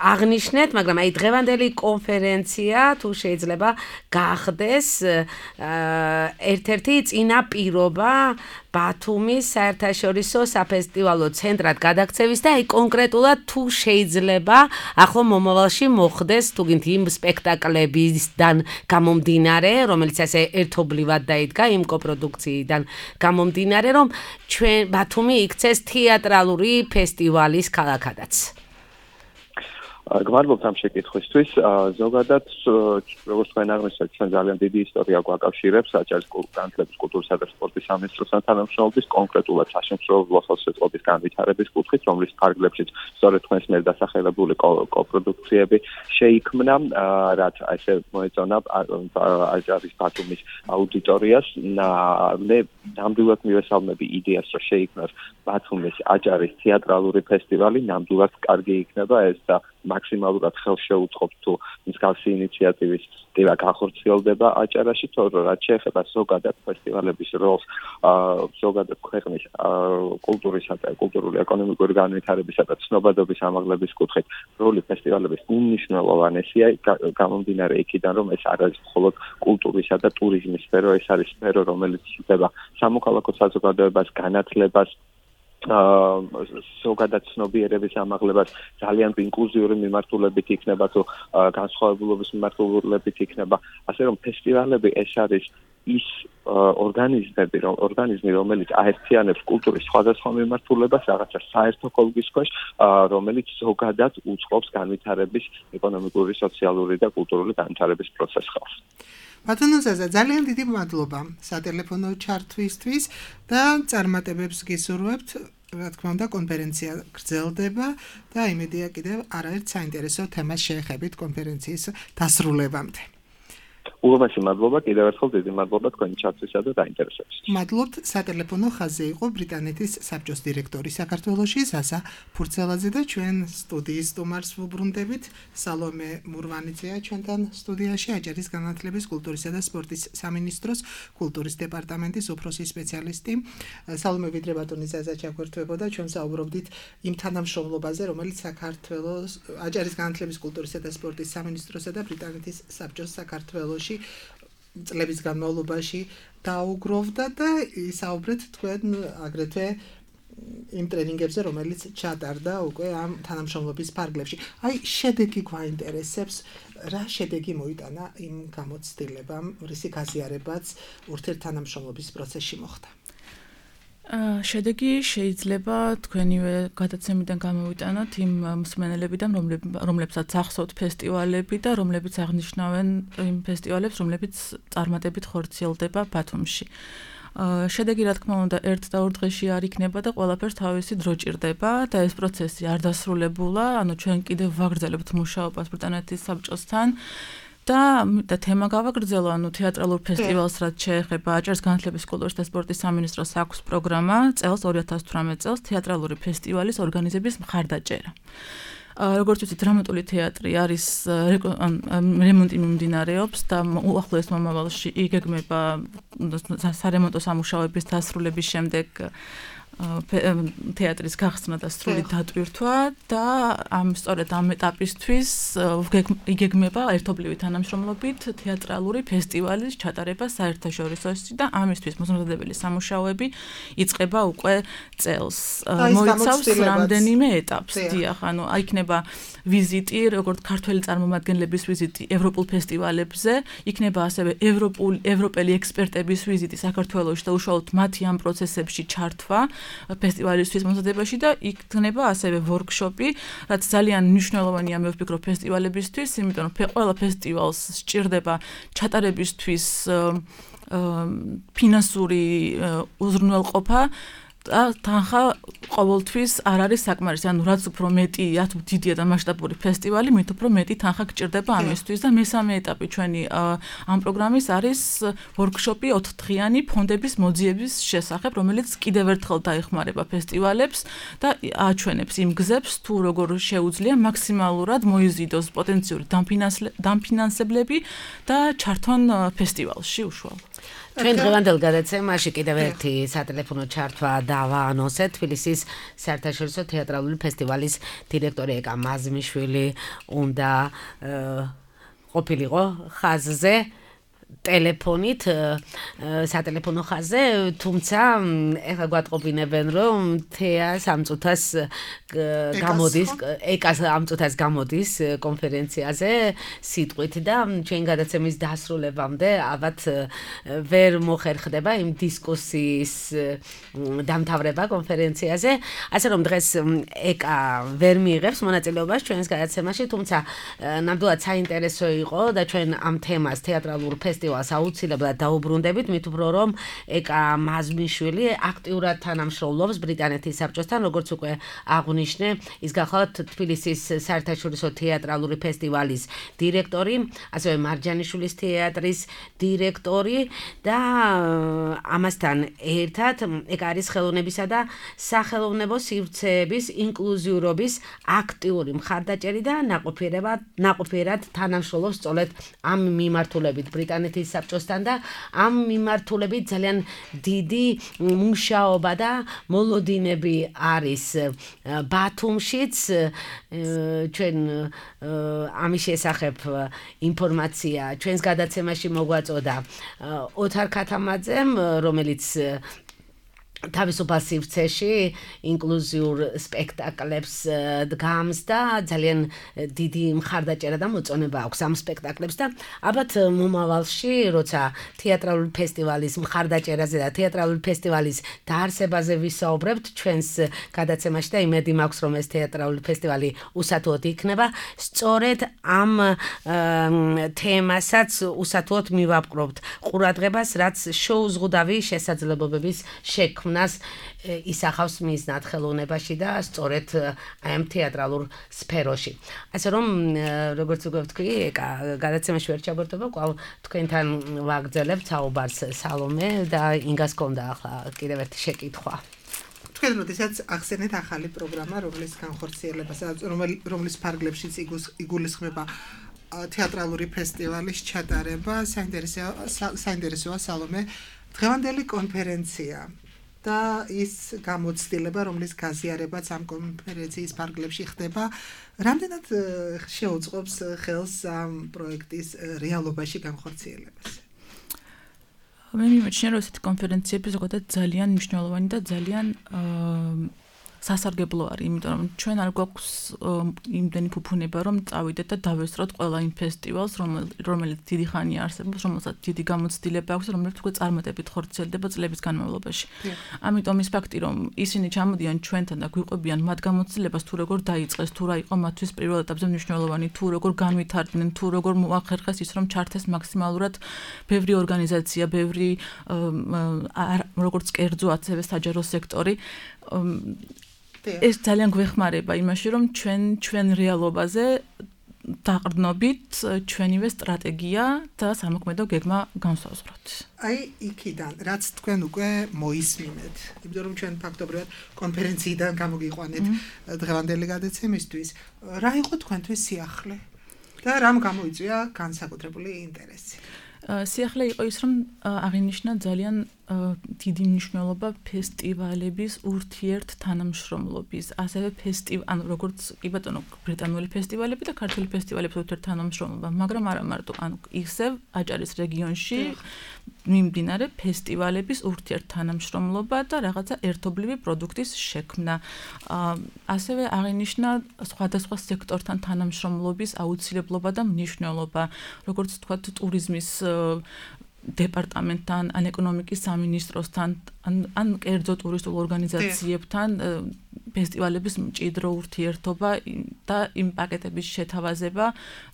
S2: აღნიშნეთ, მაგრამ აი დღევანდელი კონფერენცია თუ შეიძლება გახდეს ერთ-ერთი წინაპირობა ბათუმის საერთაშორისო საფესტივალო ცენტრად გადაქცევის და აი კონკრეტულად თუ შეიძლება ახლო მომავალში მოხდეს თუგინთ იმ სპექტაკლებისგან გამომდინარე, რომელიც ასე ერთობლივად დაიდგა იმ კოპროდუქციიდან გამომდინარე, რომ ჩვენ ბათუმი იქცეს თეატრალური ფესტივალის ქალაქადაც.
S12: გმადლობთ ამ შეკითხვისთვის. ზოგადად, როგორც თქვენ აღნიშნეთ, ჩვენ ძალიან დიდი ისტორია გვაკავშირებს აჭარის განათლების, კულტურისა და სპორტის სამინისტროსთან თანამშრომლობის, კონკრეტულად საშემსრულებლო ხელშეწყობის განვითარების კუთხით, რომლის ფარგლებშიც სწორედ თქვენს მიერ დასახელებული კოპროდუქციები შეიქმნა, რაც ასე მოეწონა აჭარის ბათუმის აუდიტორიას. მე ნამდვილად მივესალმები იდეას, რომ შეიქმნას ბათუმის აჭარის თეატრალური ფესტივალი, ნამდვილად კარგი იქნება ეს და მაქსიმალურად ხელს შეუწყობთ თუ მსგავსი ინიციატივის ტიპა განხორციელდება აჭარაში, თორემ რაც შეეხება ზოგადად ფესტივალების როლს, ზოგადად ქვეყნის კულტურისა და კულტურული ეკონომიკური განვითარებისა და ცნობადობის ამაღლების კუთხით როლი ფესტივალების უმნიშვნელოვანესია, გამომდინარე იქიდან, რომ ეს არ არის მხოლოდ კულტურისა და ტურიზმის სფერო, ეს არის სფერო, რომელიც იხდება სამოქალაქო საზოგადოებას, განათლებას, ზოგადად ცნობიერების ამაღლებას, ძალიან ინკლუზიური მიმართულებით იქნება თუ განსხვავებულობის მიმართულებით იქნება, ასე რომ ფესტივალები ეს არის ის ორგანიზმები, ორგანიზმი, რომელიც აერთიანებს კულტურის სხვადასხვა მიმართულებას რაღაცა საერთო კოლგის ქვეშ, რომელიც ზოგადად უწყობს განვითარების, ეკონომიკური, სოციალური და კულტურული განვითარების პროცესს ხალხს.
S3: ბატონო ზაზა, ძალიან დიდი მადლობა სატელეფონო ჩართვისთვის და წარმატებებს გისურვებთ. რა თქმა უნდა, კონფერენცია გრძელდება და იმედია კიდევ არაერთ საინტერესო თემას შეეხებით კონფერენციის დასრულებამდე.
S12: უღმესი მადლობა, კიდევ ერთხელ დიდი მადლობა თქვენი ჩართვისა და დაინტერესებისთვის.
S3: მადლობთ, სატელეფონო ხაზზე იყო ბრიტანეთის საბჭოს დირექტორი საქართველოში ზაზა ფურცელაძე და ჩვენ სტუდიის სტუმარს ვუბრუნდებით. სალომე მურვანიძეა ჩვენთან სტუდიაში, აჭარის განათლების, კულტურისა და სპორტის სამინისტროს კულტურის დეპარტამენტის უფროსი სპეციალისტი. სალომე ვიდრე ბატონი ზაზა ჩაგვერთვებოდა, ჩვენ საუბრობდით იმ თანამშრომლობაზე, რომელიც საქართველოს აჭარის განათლების, კულტურისა და სპორტის სამინისტროსა და ბრიტანეთის საბჭოს საქართველოში წლების განმავლობაში დაუგროვდა და ისაუბრეთ თქვენ აგრეთვე იმ ტრენინგებზე, რომელიც ჩატარდა უკვე ამ თანამშრომლობის ფარგლებში. აი, შედეგი გვაინტერესებს, რა შედეგი მოიტანა იმ გამოცდილებამ, რისი გაზიარებაც ურთიერთთანამშრომლობის პროცესში მოხდა.
S4: შედეგი შეიძლება თქვენივე გადაცემიდან გამოვიტანოთ იმ მსმენელებიდან, რომლებსაც ახსოვთ ფესტივალები და რომლებიც აღნიშნავენ იმ ფესტივალებს, რომლებიც წარმატებით ხორციელდება ბათუმში. შედეგი, რა თქმა უნდა, ერთ და ორ დღეში არ იქნება და ყველაფერს თავისი დრო ჭირდება და ეს პროცესი არ დასრულებულა, ანუ ჩვენ კიდევ ვაგრძელებთ მუშაობას ბრიტანეთის საბჭოსთან. და და თემა გავაგრძელო, ანუ თეატრალურ ფესტივალს რაც შეეხება აჭარის განათლების, კულტურის და სპორტის სამინისტროს აქვს პროგრამა წელს ორი ათას თვრამეტ წელს თეატრალური ფესტივალის ორგანიზების მხარდაჭერა. როგორც ვიცით, დრამატული თეატრი არის რემონტი მიმდინარეობს და უახლოეს მომავალში იგეგმება სარემონტო სამუშაოების დასრულების შემდეგ თეატრის გახსნა და სრული დატვირთვა და ამ სწორედ ამ ეტაპისთვის იგეგმება ერთობლივი თანამშრომლობით თეატრალური ფესტივალის ჩატარება საერთაშორისოში და ამისთვის მოსამზადებელი სამუშაოები იწყება უკვე წელს. მოიცავს რამდენიმე ეტაპს. დიახ, ანუ იქნება ვიზიტი, როგორც ქართველი წარმომადგენლების ვიზიტი ევროპულ ფესტივალებზე, იქნება ასევე ევროპული ევროპელი ექსპერტების ვიზიტი საქართველოში და უშუალოდ მათი ამ პროცესებში ჩართვა ფესტივალისთვის მომზადებაში და იქნება ასევე ვორქშოპი, რაც ძალიან მნიშვნელოვანია მე ვფიქრობ ფესტივალებისთვის, იმიტომ რომ ყველა ფესტივალს სჭირდება ჩატარებისთვის ფინანსური უზრუნველყოფა და თანხა ყოველთვის არ არის საკმარისი. ანუ რაც უფრო მეტი, რაც დიდია და მასშტაბური ფესტივალი, მით უფრო მეტი თანხა გჭირდება ამისთვის და მესამე ეტაპი ჩვენი ამ პროგრამის არის ვორქშოპი ოთხდღიანი ფონდების მოძიების შესახებ, რომელიც კიდევ ერთხელ დაეხმარება ფესტივალებს და აჩვენებს იმ გზებს, თუ როგორ შეუძლია მაქსიმალურად მოიზიდოს პოტენციური დამფინანსებლები და ჩართონ ფესტივალში უშუალოდ.
S2: ჩვენ დღევანდელ გადაცემაში კიდევ ერთი სატელეფონო ჩართვა დავაანონსეთ. თბილისის საერთაშორისო თეატრალური ფესტივალის დირექტორი ეკა მაზმიშვილი უნდა ყოფილიყო ხაზზე ტელეფონით სატელეფონო ხაზზე, თუმცა ეხლა გვატყობინებენ, რომ თეა სამწუთას გამოდის, ეკას ამწუთას გამოდის კონფერენციაზე სიტყვით და ჩვენ გადაცემის დასრულებამდე ალბათ ვერ მოხერხდება იმ დისკუსიის დამთავრება კონფერენციაზე, ასე რომ დღეს ეკა ვერ მიიღებს მონაწილეობას ჩვენს გადაცემაში, თუმცა ნამდვილად საინტერესო იყო და ჩვენ ამ თემას თეატრალურ ფესტივალს აუცილებლად დაუბრუნდებით, მით უფრო რომ ეკა მაზმიშვილი აქტიურად თანამშრომლობს ბრიტანეთის საბჭოსთან, როგორც უკვე აღნიშნე, ის გახლავთ თბილისის საერთაშორისო თეატრალური ფესტივალის დირექტორი, ასევე მარჯანიშვილის თეატრის დირექტორი და ამასთან ერთად ეკა არის ხელოვნებისა და სახელოვნებო სივრცეების ინკლუზიურობის აქტიური მხარდაჭერი და ნაყოფიერად თანამშრომლობს სწორედ ამ მიმართულებით ბრიტანეთის საბჭოსთან და ამ მიმართულებით ძალიან დიდი მუშაობა და მოლოდინები არის ბათუმშიც. ჩვენ ამის შესახებ ინფორმაცია ჩვენს გადაცემაში მოგვაწოდა ოთარ ქათამაძემ, რომელიც თავისუფალ სივრცეში ინკლუზიურ სპექტაკლებს დგამს და ძალიან დიდი მხარდაჭერა და მოწონება აქვს ამ სპექტაკლებს და ალბათ მომავალში, როცა თეატრალური ფესტივალის მხარდაჭერაზე და თეატრალური ფესტივალის დაარსებაზე ვისაუბრებთ ჩვენს გადაცემაში და იმედი მაქვს, რომ ეს თეატრალური ფესტივალი უსათუოდ იქნება, სწორედ ამ თემასაც უსათუოდ მივაპყრობთ ყურადღებას, რაც შეუზღუდავი შესაძლებლობების შექმნა нас ისახავს მიზნად ხელოვნებაში და სწორედ აი ამ თეატრალურ სფეროში. ასე რომ როგორც უკვე ვთქვი, გადაცემაში ვერ ჩაბარდება, კვალ თქვენთან ვაგრძელებთ საუბარს სალომე და ინგას კონდა ახლა კიდევ ერთი შეკითხვა.
S3: თქვენ როდესაც ახსენეთ ახალი პროგრამა, რომლის განხორციელებას, რომლის ფარგლებშიც იგულისხმება თეატრალური ფესტივალის ჩატარება, საინტერესოა სალომე დღევანდელი კონფერენცია და ის გამოცდილება, რომლის გაზიარებაც ამ კონფერენციის ფარგლებში ხდება, რამდენად შეუწყობს ხელს ამ პროექტის რეალობაში განხორციელებას?
S4: მე მიმაჩნია, რომ ესეთი კონფერენციები ზოგადად ძალიან მნიშვნელოვანი და ძალიან სასარგებლო არის, იმიტომ რომ ჩვენ არ გვაქვს იმდენი ფუფუნება, რომ წავიდეთ და დავესწროთ ყველა იმ ფესტივალს, რომელიც დიდი ხანია არსებობს, რომელსაც დიდი გამოცდილება აქვს, რომელიც უკვე წარმატებით ხორციელდება წლების განმავლობაში. ამიტომ ის ფაქტი, რომ ისინი ჩამოდიან ჩვენთან და გვიყვებიან მათ გამოცდილებას, თუ როგორ დაიწყეს, თუ რა იყო მათთვის პირველ ეტაპზე მნიშვნელოვანი, თუ როგორ განვითარდნენ, თუ როგორ მოახერხეს ის, რომ ჩართეს მაქსიმალურად ბევრი ორგანიზაცია, ბევრი როგორც კერძო, ასევე საჯარო სექტორი. ეს ძალიან გვეხმარება იმაში, რომ ჩვენ ჩვენ რეალობაზე დაყრდნობით ჩვენივე სტრატეგია და სამოქმედო გეგმა განსაზღვროთ.
S3: აი იქიდან, რაც თქვენ უკვე მოისმინეთ, იმიტომ რომ ჩვენ ფაქტობრივად კონფერენციიდან გამოგიყვანეთ დღევანდელი გადაცემისთვის, რა იყო თქვენთვის სიახლე და რამ გამოიწვია განსაკუთრებული ინტერესი?
S4: სიახლე იყო ის, რომ აღინიშნა ძალიან დიდი მნიშვნელობა ფესტივალების ურთიერთ თანამშრომლობის, ასევე ფესტივალ, ანუ როგორც კი ბატონო, ბრიტანული ფესტივალები და ქართული ფესტივალების ურთიერთ თანამშრომლობა, მაგრამ არა მარტო, ანუ ისევ აჭარის რეგიონში მიმდინარე ფესტივალების ურთიერთ თანამშრომლობა და რაღაცა ერთობლივი პროდუქტის შექმნა. ასევე აღინიშნა სხვადასხვა სექტორთან თანამშრომლობის აუცილებლობა და მნიშვნელობა, როგორც თქვათ, ტურიზმის დეპარტამენტთან, ან ეკონომიკის სამინისტროსთან, ან ან კერძო ტურისტულ ორგანიზაციებთან ფესტივალების მჭიდრო ურთიერთობა და იმ პაკეტების შეთავაზება,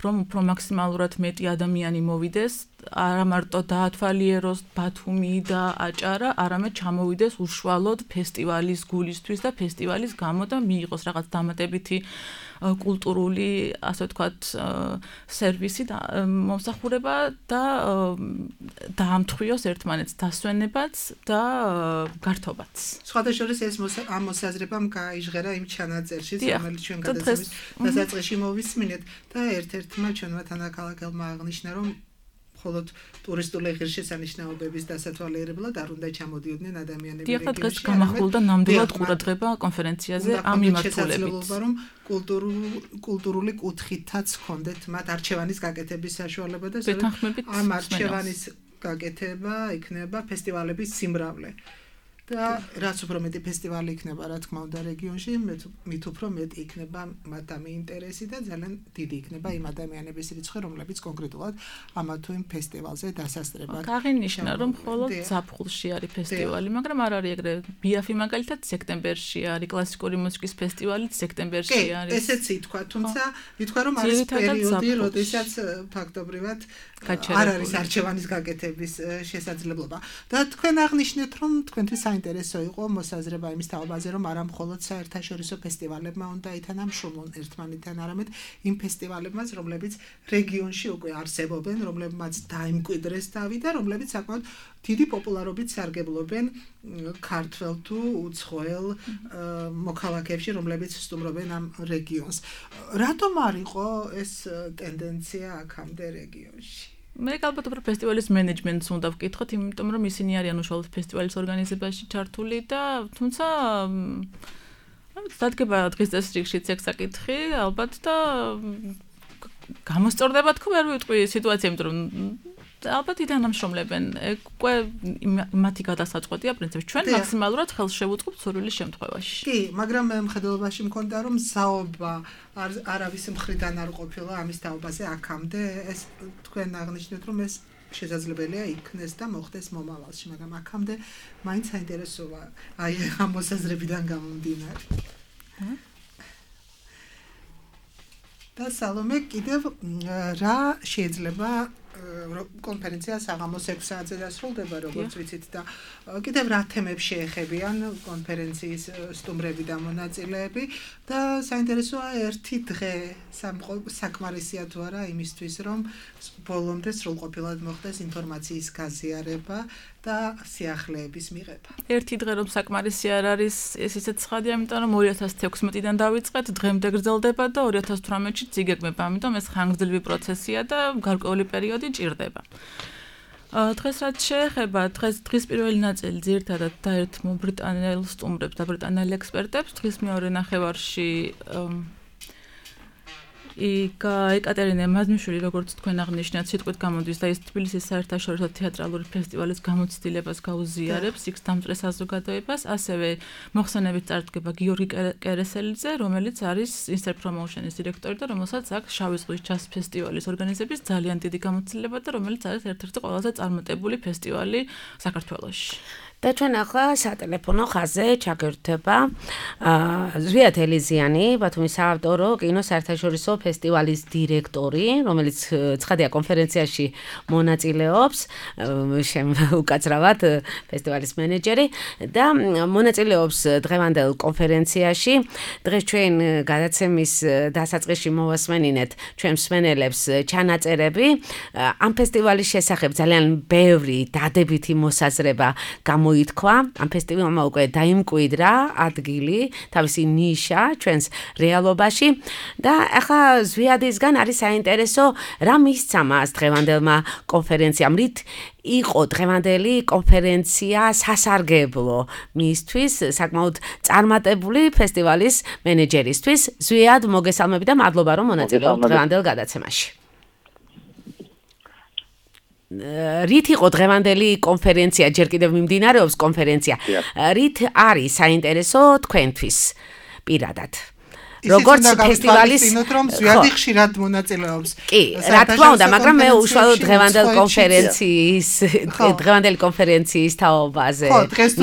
S4: რომ უფრო მაქსიმალურად მეტი ადამიანი მოვიდეს, არა მარტო დაათვალიეროს ბათუმი და აჭარა, არამედ ჩამოვიდეს უშუალოდ ფესტივალის გულისთვის და ფესტივალის გამო და მიიღოს რაღაც დამატებითი კულტურული, ასე ვთქვათ, სერვისი და მომსახურება და დაამთხვიოს ერთმანეთს დასვენებაც და გართობაც.
S3: სხვადასხვა ეს ამ მოსაზრებამ გაიჟღერა იმ ჩანაწერში, რომელიც ჩვენ გადაცემის დასაწყისში მოვისმინეთ და ერთ-ერთმა ჩვენმა თანაქალაქელმა აღნიშნა, რომ მხოლოდ ტურისტული ღირსშესანიშნაობების დასათვალიერებლად არ უნდა ჩამოდიოდნენ ადამიანები
S4: რეგიონში. დიახ, დღეს გამახვილდა ნამდვილად ყურადღება კონფერენციაზე ამ მიმართულებით.
S3: რომ კულტურული კუთხითაც ჰქონდეთ მათ არჩევანის გაკეთების საშუალება და ამ არჩევანის გაკეთება იქნება ფესტივალების სიმრავლე. და რაც უფრო მეტი ფესტივალი იქნება, რა თქმა უნდა, რეგიონში, მით უფრო მეტი იქნება მათ ამ ინტერესი და ძალიან დიდი იქნება იმ ადამიანების რიცხვი, რომლებიც კონკრეტულად ამა თუ იმ ფესტივალზე დასასწრებად.
S4: აღინიშნა, რომ მხოლოდ ზაფხულში არის ფესტივალი, მაგრამ არ არის ეგრე. ბიაფი მაგალითად სექტემბერში არის, კლასიკური მუსიკის ფესტივალიც სექტემბერში არის.
S3: ესეც ითქვა, თუმცა ითქვა, რომ არის პერიოდი, როდესაც ფაქტობრივად არ არის არჩევანის გაკეთების შესაძლებლობა. და თქვენ აღნიშნეთ, რომ თქვენთვის საინტერესო იყო მოსაზრება იმის თაობაზე, რომ არა მხოლოდ საერთაშორისო ფესტივალებმა უნდა ითანამშრომლონ ერთმანეთთან, არამედ იმ ფესტივალებმაც, რომლებიც რეგიონში უკვე არსებობენ, რომლებმაც დაიმკვიდრეს თავი და რომლებიც საკმაოდ დიდი პოპულარობით სარგებლობენ ქართველ თუ უცხოელ მოქალაქეებში, რომლებიც სტუმრობენ ამ რეგიონს. რატომ არ იყო ეს ტენდენცია აქამდე რეგიონში?
S4: მე ალბათ უფრო ფესტივალის მენეჯმენტს უნდა ვკითხოთ, იმიტომ რომ ისინი არიან უშუალოდ ფესტივალის ორგანიზებაში ჩართული და თუმცა დადგება დღის წესრიგშიც ეგ საკითხი, ალბათ და გამოსწორდება თქო, ვერ ვიტყვი სიტუაცია, იმიტომ რომ ალბათ ითანამშრომლებენ. ეგ უკვე მათი გადასაწყვეტია პრინციპში. ჩვენ მაქსიმალურად ხელს შევუწყობთ სურვილის შემთხვევაში.
S3: კი, მაგრამ მე მხედველობაში მქონდა რომ საობა არავის მხრიდან არ ყოფილა ამის თაობაზე აქამდე. ეს თქვენ აღნიშნეთ რომ ეს შესაძლებელია იქნეს და მოხდეს მომავალში, მაგრამ აქამდე მაინც საინტერესოა აი ამ მოსაზრებიდან გამომდინარე. და სალომე კიდევ რა შეიძლება კონფერენცია საღამოს ექვს საათზე დასრულდება, როგორც ვიცით და კიდევ რა თემებს შეეხებიან კონფერენციის სტუმრები და მონაწილეები და საინტერესოა ერთი დღე საკმარისია თუ არა იმისთვის, რომ ბოლომდე სრულყოფილად მოხდეს ინფორმაციის გაზიარება და სიახლეების მიღება.
S4: ერთი დღე რომ საკმარისი არ არის, ეს ისეთ ცხადია, იმიტომ რომ ორი ათას თექვსმეტიდან დავიწყეთ, დღემდე გრძელდება და ორი ათას თვრამეტში წიგებმება, ამიტომ ეს ხანგრძლივი პროცესია და გარკვეული პერიოდი ჭირდება. დღეს რაც შეეხება, დღეს დღის პირველი ნაწილი ძირითადად დაერთმო ბრიტანელ სტუმრებს და ბრიტანელ ექსპერტებს, დღის მეორე ნახევარში იკა ეკატერინე მაზმიშვილი, როგორც თქვენ აღნიშნეთ, სიტყვით გამოდის და ის თბილისის საერთაშორისო თეატრალური ფესტივალის გამოცდილებას გაუზიარებს, იქ დამწრე საზოგადოებას, ასევე მოხსენებით წარდგება გიორგი კერესელიძე, რომელიც არის Insert Promotion-ის დირექტორი და რომელსაც აქვს შავი ზღვის ჯაზ ფესტივალის ორგანიზების ძალიან დიდი გამოცდილება და რომელიც არის ერთ-ერთი ყველაზე წარმატებული ფესტივალი საქართველოში.
S2: და ჩვენ ახლა სატელეფონო ხაზზე ჩაგერთვება ზვიად ელიზიანი, ბათუმის საავტორო კინოს საერთაშორისო ფესტივალის დირექტორი, რომელიც ცხადია კონფერენციაში მონაწილეობს, უკაცრავად ფესტივალის მენეჯერი და მონაწილეობს დღევანდელ კონფერენციაში. დღეს ჩვენ გადაცემის დასაწყისში მოვასმენინეთ ჩვენ მსმენელებს ჩანაწერები ამ ფესტივალის შესახებ ძალიან ბევრი დადებითი მოსაზრება გამო ითქვა, ამ ფესტივალმა უკვე დაიმკვიდრა ადგილი, თავისი ნიშა ჩვენს რეალობაში და ახლა ზვიადისგან არის საინტერესო რა მისცა მას დღევანდელმა კონფერენციამ, რით იყო დღევანდელი კონფერენცია სასარგებლო მისთვის, საკმაოდ წარმატებული ფესტივალის მენეჯერისთვის. ზვიად მოგესალმები და მადლობა რომ მონაწილეობთ დღევანდელ გადაცემაში. რით იყო დღევანდელი კონფერენცია, ჯერ კიდევ მიმდინარეობს კონფერენცია, რით არის საინტერესო თქვენთვის პირადად? როგორც ფესტივალის
S3: რომ ზვიადი ხშირად მონაწილეობს.
S2: კი, რა თქმა უნდა, მაგრამ მე უშუალოდ დღევანდელ კონფერენციის დღევანდელი კონფერენციის თაობაზე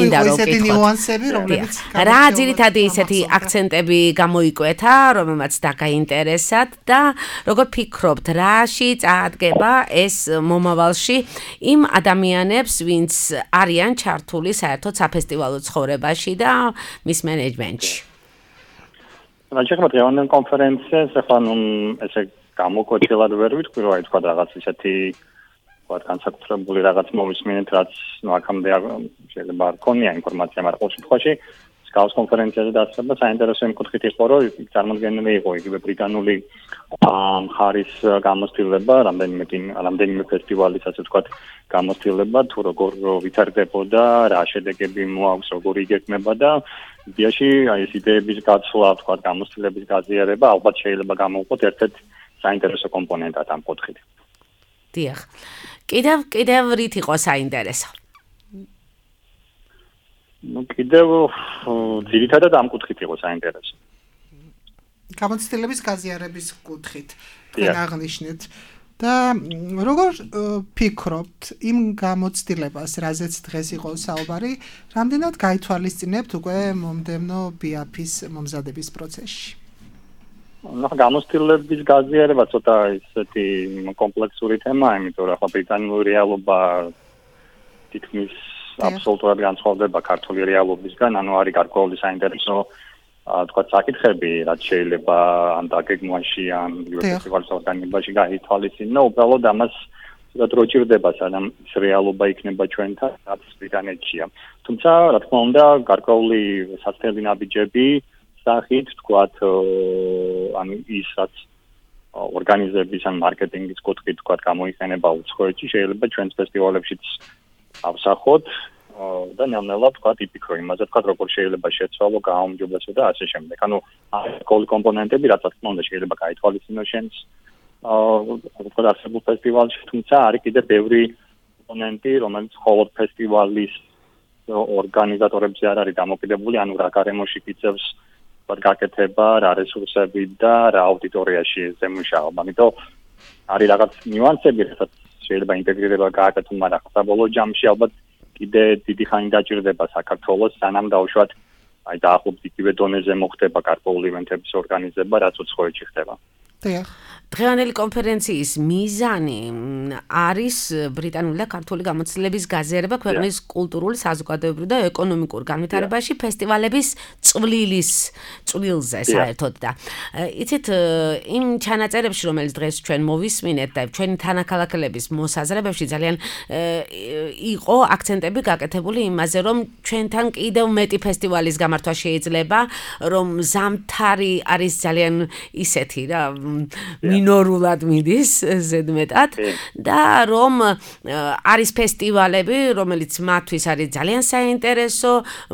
S2: მინდა რომ
S3: ისეთი ნიუანსები, რომლებიც
S2: რა ძირითადი ისეთი აქცენტები გამოიკვეთა, რომელმაც დაგაინტერესათ და როგორ ფიქრობთ, რაში წაადგება ეს მომავალში იმ ადამიანებს, ვინც არიან ჩართული საერთოდ საფესტივალო ცხოვრებაში და მის მენეჯმენტში?
S13: რაჭერმა დღევანდელ კონფერენციას ახლა ნუ ესე გამოკვეთილად ვერ ვიტყვი, რომ აი თქვა რაღაც ისეთი თქვა განსაკუთრებული რაღაც მოვისმინეთ, რაც ნუ აქამდე შეიძლება არ ქონია ინფორმაცია, მაგრამ ყოველ შემთხვევაში სკაუს კონფერენციაზე დასწრება საინტერესო იმ კუთხით იყო, რომ წარმოდგენილი იყო იგივე ბრიტანული მხარის გამოცდილება, რამდენიმე რამდენიმე ფესტივალის ასე ვთქვათ გამოცდილება, თუ როგორ ვითარდებოდა, რა შედეგები მოაქვს, როგორ იგეგმება და იდეაში აი ეს იდეების გაცვლა, ვთქვათ, გამოცდილების გაზიარება ალბათ შეიძლება გამოვყოთ ერთ-ერთ საინტერესო კომპონენტად ამ კუთხით.
S2: დიახ. კიდევ კიდევ რით იყო საინტერესო?
S13: ну კიდევ ძირითადად ამ კუთხით იყო საინტერესო.
S3: გამოცდილების გაზიარების კუთხით თქვენ აღნიშნეთ და როგორ ფიქრობთ იმ გამოცდილებას, რაზეც დღეს იყო საუბარი, რამდენად გაითვალისწინებთ უკვე მომდევნო ბიაფის მომზადების პროცესში?
S13: ну გამოცდილების გაზიარება ცოტა ისეთი კომპლექსური თემაა, იმიტომ რომ ახლა ბრიტანული რეალობა თითქმის აბსოლუტურად განსხვავდება ქართული რეალობისგან, ანუ არის გარკვეული საინტერესო თქვა საკითხები, რაც შეიძლება ან დაგეგმვაში, ან ფესტივალის ორგანიზებაში გაითვალისწინო, უბრალოდ ამას ცოტა დრო ჭირდება, სანამ ეს რეალობა იქნება ჩვენთან, რაც ბრიტანეთშია. თუმცა, რა თქმა უნდა, გარკვეული სასწრაფო ნაბიჯები სახით, თქვათ, ანუ ის რაც ორგანიზების ან მარკეტინგის კუთხით, თქვათ, გამოიყენება უცხოეთში, შეიძლება ჩვენს ფესტივალებშიც ავსახოთ და ნელ-ნელა თქვა იფიქრო იმაზე, თქვა როგორ შეიძლება შეცვალო, გააუმჯობესო და ასე შემდეგ. ანუ ყოველი კომპონენტები, რაც თქმა უნდა შეიძლება გაითვალისწინოს შენს აა თქვა არსებულ ფესტივალში, თუმცა არის კიდევ ბევრი კომპონენტი, რომელიც მხოლოდ ფესტივალის ორგანიზატორებზე არ არის დამოკიდებული, ანუ რა გარემოში გიწევს გაკეთება, რა რესურსები და რა აუდიტორიაში ზემუშაობა. ამიტომ არის რაღაც ნიუანსები, რასაც შეიძლება ინტეგრირება გააკეთო, მაგრამ საბოლოო ჯამში ალბათ კიდე დიდი ხანი დაჭირდება საქართველოს, სანამ დაუშვათ აი დაახლოებით იგივე დონეზე მოხდება გარკვეული ივენთების ორგანიზება, რაც უცხოეთში ხდება.
S3: დიახ.
S2: დღევანდელი კონფერენციის მიზანი არის ბრიტანული და ქართული გამოცდილების გაზიარება ქვეყნის კულტურული, საზოგადოებრივ და ეკონომიკურ განვითარებაში ფესტივალების წვლილის წვლილზე საერთოდ და იცით იმ ჩანაწერებში, რომელიც დღეს ჩვენ მოვისმინეთ და ჩვენი თანაქალაქელების მოსაზრებებში ძალიან იყო აქცენტები გაკეთებული იმაზე, რომ ჩვენთან კიდევ მეტი ფესტივალის გამართვა შეიძლება, რომ ზამთარი არის ძალიან ისეთი რა მინორულად მიდის ზედმეტად და რომ არის ფესტივალები, რომელიც მათთვის არის ძალიან საინტერესო,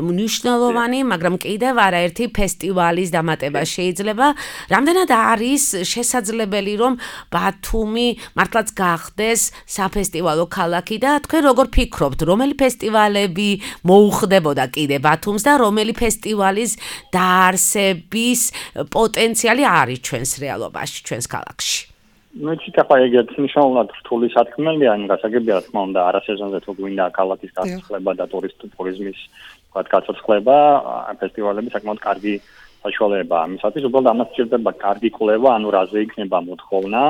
S2: მნიშვნელოვანი, მაგრამ კიდევ არაერთი ფესტივალის დამატება შეიძლება. რამდენად არის შესაძლებელი, რომ ბათუმი მართლაც გახდეს საფესტივალო ქალაქი და თქვენ როგორ ფიქრობთ, რომელი ფესტივალები მოუხდებოდა კიდე ბათუმს და რომელი ფესტივალის დაარსების პოტენციალი არის ჩვენს რეალობაში, ჩვენს ქალაქში?
S13: ну ციტა ხაიგეთ მნიშვნელოვნად რთული სათქმელია, ან გასაგებია რა თქმა უნდა არასეზონზე თუ გვინდა ქალაქის გასახლება და ტურისტიზმის თქვა გაცოცხლება, ფესტივალები საკმაოდ კარგი საშუალებაა. ამისათვის უბრალოდ ამას სჭირდება კარგი კვლევა, ანუ რაზე იქნება მოთხოვნა,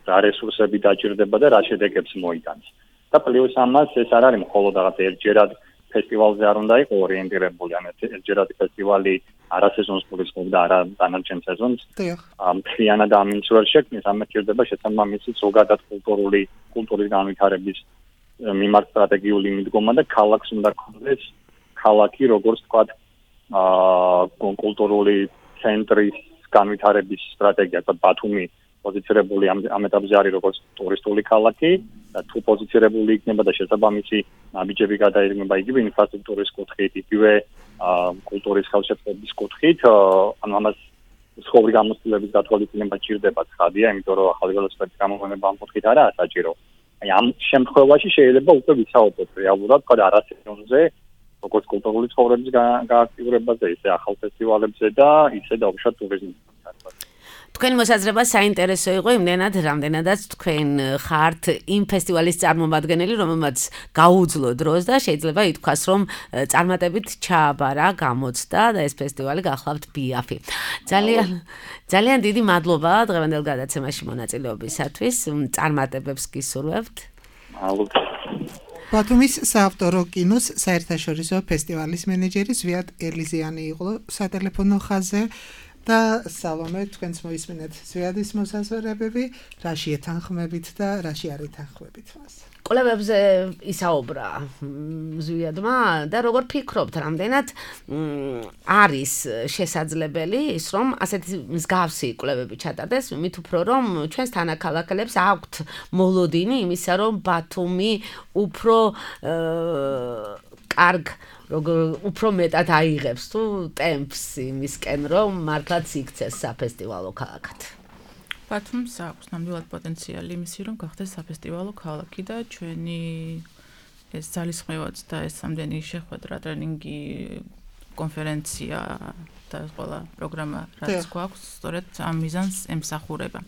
S13: რა რესურსები დაჭირდება და რა შედეგებს მოიტანს. და პლუს ამას ეს არ არის მხოლოდ რაღაც ერთჯერად ფესტივალზე არ უნდა იყოს ორიენტირებული, ან ერთჯერადი ფესტივალი არასეზონს გულისხმობდა არა დანარჩენ სეზონს. მთლიანად ამინც ვერ შექმნის, ამას სჭირდება შესაბამისი ზოგადად კულტურული კულტურის განვითარების მიმართ სტრატეგიული მიდგომა და ქალაქს უნდა ქონდეს ქალაქი, როგორც ვთქვათ, აა კულტურული ცენტრის განვითარების სტრატეგია, თქო ბათუმი პოზიცირებული ამ ეტაპზე არის როგორც ტურისტული ქალაქი და თუ პოზიცირებული იქნება და შესაბამისი ნაბიჯები გადაიღება იგივე ინფრასტრუქტურის კუთხით, იგივე კულტურის ხელშეწყობის კუთხით, ანუ ამას სხვაური გამოცდილების გათვალისწინება ჭირდება ცხადია, იმიტომ რომ ახალი ველოსიპედის გამოგონება ამ კუთხით არაა საჭირო. აი ამ შემთხვევაში შეიძლება უკვე ვისაუბროთ რეალურად, თქვა არასეზონზე, როგორც კულტურული ცხოვრების გააქტიურებაზე, ისე ახალ ფესტივალებზე და ისე დაუშვათ ტურიზმის.
S2: თქვენი მოსაზრება საინტერესო იყო იმდენად, რამდენადაც თქვენ ხართ იმ ფესტივალის წარმომადგენელი, რომელმაც გაუძლო დროს და შეიძლება ითქვას, რომ წარმატებით ჩააბარა, გამოცდა და ეს ფესტივალი გახლავთ ბიაფი. ძალიან ძალიან დიდი მადლობა დღევანდელ გადაცემაში მონაწილეობისათვის. წარმატებებს გისურვებთ.
S3: ბათუმის საავტორო კინოს საერთაშორისო ფესტივალის მენეჯერი ზვიად ელიზიანი იყო სატელეფონო ხაზზე და სალომე თქვენს მოისმინეთ ზვიადის მოსაზრებები, რაში ეთანხმებით და რაში არ ეთანხმებით მას.
S2: კვლევებზე ისაუბრა ზვიადმა და როგორ ფიქრობთ, რამდენად არის შესაძლებელი ის, რომ ასეთი მსგავსი კვლევები ჩატარდეს, მით უფრო რომ ჩვენს თანაქალაქელებს აქვთ მოლოდინი იმისა, რომ ბათუმი უფრო კარგ როგორ უფრო მეტად აიღებს თუ ტემპს იმისკენ, რომ მართლაც იქცეს საფესტივალო ქალაქად.
S4: ბათუმს აქვს ნამდვილად პოტენციალი იმისი, რომ გახდეს საფესტივალო ქალაქი და ჩვენი ეს ძალისხმევაც და ეს სამდენი შეხვედრა, ტრენინგი, კონფერენცია და ყველა პროგრამა, რაც გვაქვს, სწორედ ამ მიზანს ემსახურება.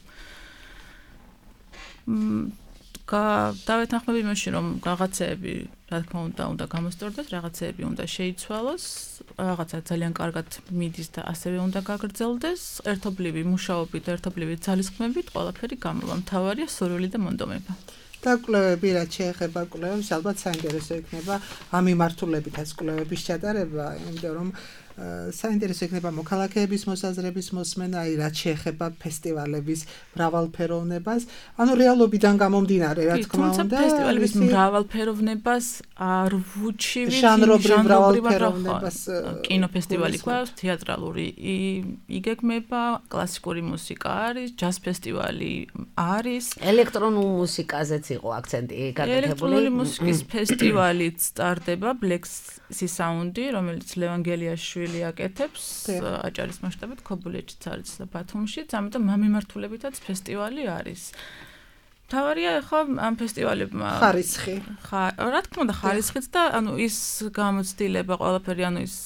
S4: დავეთანხმები იმაში, რომ რაღაცეები, რა თქმა უნდა, უნდა გამოსწორდეს, რაღაცეები უნდა შეიცვალოს, რაღაცა ძალიან კარგად მიდის და ასევე უნდა გაგრძელდეს, ერთობლივი მუშაობით, ერთობლივი ძალისხმებით, ყველაფერი გამოვა. მთავარია სურვილი და მონდომება.
S3: და კვლევები, რაც შეეხება კვლევებს, ალბათ საინტერესო იქნება ამ მიმართულებითაც კვლევების ჩატარება, იმიტომ რომ საინტერესო იქნება მოქალაქეების მოსაზრების მოსმენა, აი რაც შეეხება ფესტივალების მრავალფეროვნებას, ანუ რეალობიდან გამომდინარე, რა თქმა უნდა,
S4: ფესტივალების მრავალფეროვნებას არ ვუჩივით
S3: ჟანრობრივ მრავალფეროვნებას.
S4: კინოფესტივალი გვაქვს, თეატრალური იგეგმება, კლასიკური მუსიკა არის, ჯაზ ფესტივალი არის,
S2: ელექტრონულ მუსიკაზეც იყო აქცენტი გაკეთებული.
S4: ელექტრონული მუსიკის ფესტივალიც სტარტდება, Black Sea Sound-ი, რომელიც ლევან გელიაშვილი აკეთებს აჭარის მასშტაბით ქობულეთშიც არის და ბათუმშიც, ამიტომ ამ მიმართულებითაც ფესტივალი არის. თავარია ხო ამ ფესტივალებმა
S3: ხარისხი.
S4: რა თქმა უნდა ხარისხიც და ანუ ის გამოცდილება ყველაფერი, ანუ ის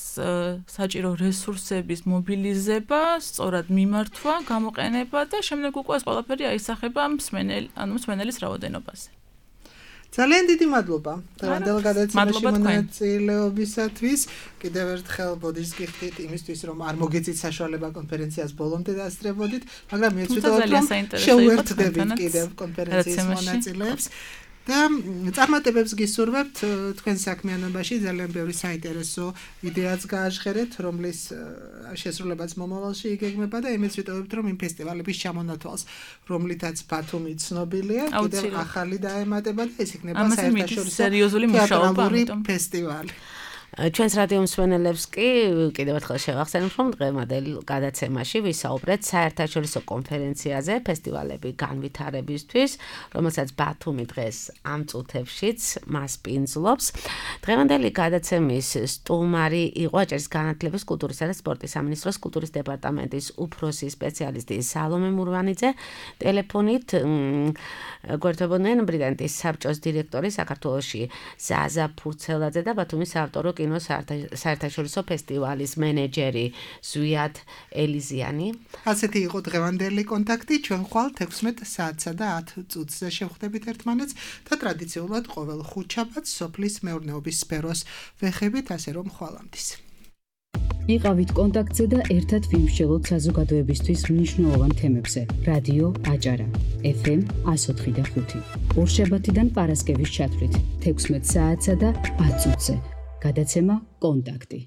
S4: საჭირო რესურსების მობილიზება, სწორად მიმართვა, გამოყენება და შემდეგ უკვე ეს ყველაფერი აისახება მსმენელ, ანუ მსმენელის რაოდენობაზე.
S3: ძალიან დიდი მადლობა დღევანდელ გადაცემაში მონაწილეობისათვის. კიდევ ერთხელ ბოდიშს გიხდით იმისთვის, რომ არ მოგეწით საშუალება კონფერენციას ბოლომდე დაასწრებოდით, მაგრამ მე ვცდილობ რომ შევუერთდებით კიდევ კონფერენციის მონაწილეებს. და წარმატებებს გისურვებთ თქვენ საქმიანობაში, ძალიან ბევრი საინტერესო იდეაც გააჟღერეთ, რომლის შესრულებაც მომავალში იგეგმება და იმეც ვიტოვებთ, რომ იმ ფესტივალების ჩამონათვალს, რომლითაც ბათუმი ცნობილია, კიდევ ახალი დაემატება და ეს იქნება საერთაშორისო
S4: სერიოზული მუშაობა,
S3: ამიტომ ფესტივალი.
S2: ჩვენს რადიო მსმენელებს კი კიდევ ერთხელ შევახსენებ, რომ დღევანდელ გადაცემაში ვისაუბრეთ საერთაშორისო კონფერენციაზე ფესტივალები განვითარებისთვის, რომელსაც ბათუმი დღეს ამ წუთებშიც მასპინძლობს. დღევანდელი გადაცემის სტუმარი იყო აჭარის განათლების, კულტურისა და სპორტის სამინისტროს კულტურის დეპარტამენტის უფროსი სპეციალისტი სალომე მურვანიძე. ტელეფონით გვერდებოდნენ ბრიტანეთის საბჭოს დირექტორი საქართველოში ზაზა ფურცელაძე და ბათუმის საავტორო კინოს საერთაშორისო ფესტივალის მენეჯერი ზვიად ელიზიანი.
S3: ასეთი იყო დღევანდელი კონტაქტი. ჩვენ ხვალ თექვსმეტ საათსა და ათ წუთზე შევხვდებით ერთმანეთს და ტრადიციულად ყოველ ხუთშაბათს სოფლის მეურნეობის სფეროს ვეხებით, ასე რომ ხვალამდის.
S1: იყავით კონტაქტზე და ერთად ვიმსჯელოთ საზოგადოებისთვის მნიშვნელოვან თემებზე. რადიო აჭარა ეფ ემ εκατო ოთხი და ხუთი. ორშაბათიდან პარასკევის ჩათვლით თექვსმეტ საათსა და ათ წუთზე. გადაცემა კონტაქტი.